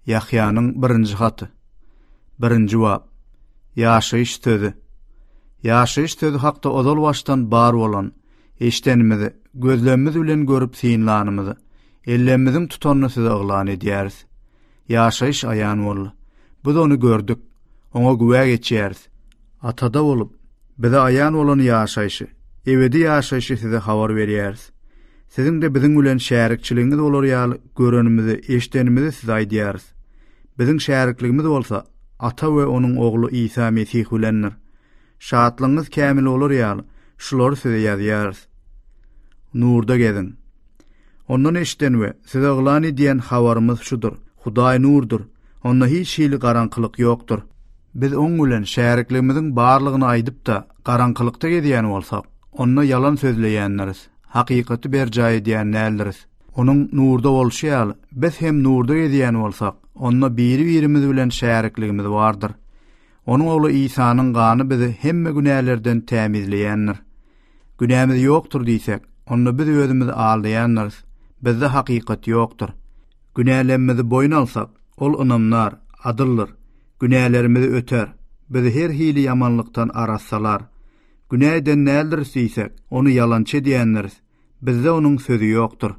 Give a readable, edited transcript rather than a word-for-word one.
Ýahýanyň birinji haty. Birinji bap. Ýaşaýyş sözi. Ýaşaýyş sözi hakda ozal başdan bar bolan, eşdenimizi, gözlemimiz bilen görüp synlanymyzy, ellemimiziň tutanyny size yglan edýäris. Ýaşaýyş aýan boldy. Biz ony gördük, oňa güwä geçýäris. Atada bolup, bize aýan bolan ýaşaýşy, ebedi ýaşaýşy size habar berýäris. Siziň-de biziň bilen şärikçiligiňiz bolar ýaly görenimizi, eşidenimizi size aýdýarys. Biziň şärikligimiz bolsa Ata we Onuň Ogly Isa Mesih bilendir. Şatlygyňyz kämil bolar ýaly, şulary size ýazýarys. Nurda geziň. Ondan eşiden we size yglan edýän habarymyz şudur, Hudaý nurdur, Onda hiç hili garaňkylyk ýokdur. Biz Oň bilen şärikligimiziň barlygyny aýdyp-da, garaňkylykda gezýän bolsak, onda ýalan sözleýändiris, hakykaty berjaý edýän däldiris. Onuň nurda bolşy ýaly, biz hem nurda gezýän bolsak, onda biri-birimiz bilen şärikligimiz bardyr. Onuň Ogly Isanyň gany bizi hemme günälerden tämizleýändir. Günämiz ýokdur diýsek, onda biz özümizi aldaýandyrys, bizde hakykat ýokdur. Günälerimizi boýun alsak, Ol ynamdar, adyldyr, günälerimizi öter, bizi her hili ýamanlykdan arassalar. Günä eden däldiris diýsek, Ony ýalançy edýändiris, bizde Onuň sözi ýokdur.